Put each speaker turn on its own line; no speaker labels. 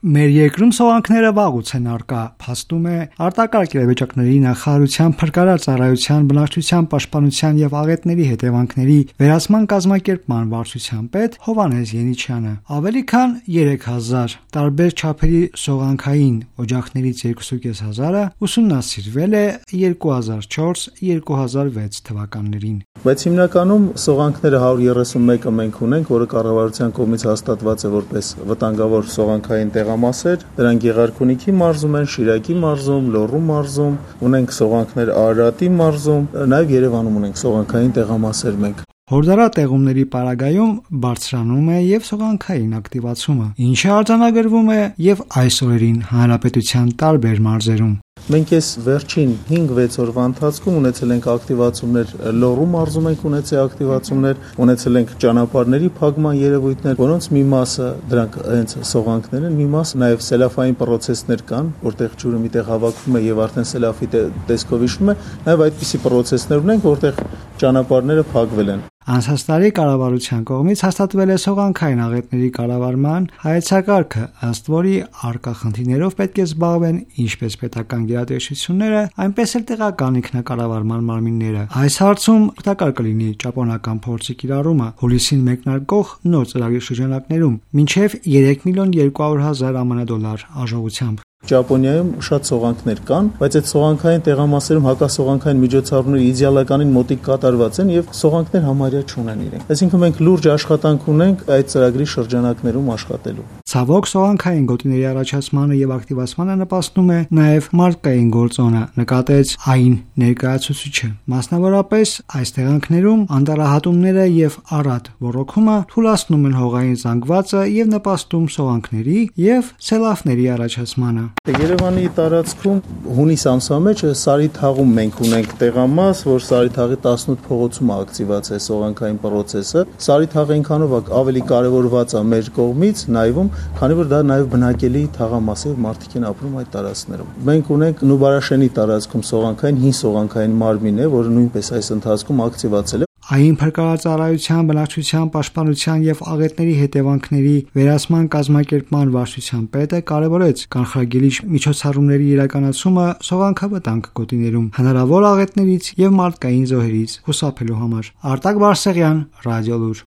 Մեր երկրում սողանքները վաղուց են առկա, փաստում է արտակարգ իրավիճակների նախարարության փրկարար ծառայության բնակչության պաշտպանության եւ աղետների հետևանքների վերացման կազմակերպման վարչության պետ Հովհաննես Ենիչյանը։ Ավելի քան 3000 տարբեր չափերի սողանքային օջախներից 2500-ը ուսումնասիրվել է 2004-2006 թվականներին։
Բայց հիմնականում սողանքները 131-ը մենք ունենք, որը կառավարության կողմից հաստատված է որպես վտանգավոր սողանքային տեղամասեր, դրանք Գեղարքունիքի մարզում են, Շիրակի մարզում, Լոռու մարզում, ունենք սողանքներ Արարատի մարզում, նաև Երևանում ունենք սողանքային տեղամասեր մենք։
Հորդառատեղումների պարագայում բարձրանում է եւ սողանքային ակտիվացումը, ինչը արձանագրվում է եւ այս օրերին հանրապետության տարբեր մարզերում։
Մենք այս վերջին 5-6 օրվա ընթացքում ունեցել ենք ակտիվացումներ Լոռու մարզում ենք ունեցել ակտիվացումներ, ունեցել ենք ճանապարհների փակման երևույթներ, որոնց մի մասը դրանք հենց սողանքներ են, մի մասը նաև սելաֆային պրոցեսներ կան, որտեղ ջուրը միտեղ հավաքվում է եւ արդեն սելաֆի տեսքով իշխում է, նաև այդպիսի պրոցեսներ ունենք, որտեղ ճանապարհները փակվել են։
Անցած տարի կառավարության կողմից հաստատվել է սողանքային աղետների կառավարման հայեցակարգը, ըստ որի առկա խնդիրներով պետք է զբաղվեն ինչպես պետական գերատեսչությունները, այնպես էլ տեղական ինքնակառավարման մարմինները։ Այս հարցում օգտակար կլինի ճապոնական փորձի կիրառումը հուլիսին մեկնարկող նոր ծրագրի շրջանակներում մինչև 3.2 միլիոն $, արժողությամբ։
Ճապոնիայում շատ սողանքներ կան, բայց այդ սողանքային տեղամասերում հակասողանքային միջոցառումները իդեալականին մոտիկ կատարված են եւ սողանքներ համարյա չունեն իրենք։ Այսինքն մենք լուրջ աշխատանք ունենք այդ ծրագրի շրջանակներում աշխատելու։
Ցավոք սողանքային գոտիների առաջացմանը եւ ակտիվացմանը նպաստում է նաեւ մարդկային գործոնը, նկատեց այն ներկայացուցիչը։ Մասնավորապես այս տեղանքներում անտառահատումները եւ առատ ոռոգումը թուլացնում են հողային զանգվածը եւ նպաստում սողանքների եւ սելավների առաջացմանը։
Երևանի տարածքում հունիս ամսվա մեջ Սարիթաղում մենք ունենք տեղամաս, որ Սարիթաղի 18 փողոցում ակտիվացած է սողանքային պրոցեսը։ Սարիթաղը ինքանով ավելի կարևորված է մեր կողմից նայվում, քանի որ դա նաև բնակելի թաղամաս է, մարդիկ են ապրում այդ տարածքներում։ Մենք ունենք Նուբարաշենի տարածքում սողանքային հին սողանքային մարմին է, որը նույնպես այս ընթացքում ակտիվացել է։
Այն փրկարար ծառայության բնակչության պաշտպանության եւ աղետների հետևանքների վերացման կազմակերպման վարչության պետը կարևորեց կանխարգելիչ միջոցառումների իրականացումը սողանքավտանգ գոտիներում հնարավոր աղետներից եւ մարդկային զոհերից խուսափելու համար։ Արտակ Բարսեղյան, Ռադիոլուր։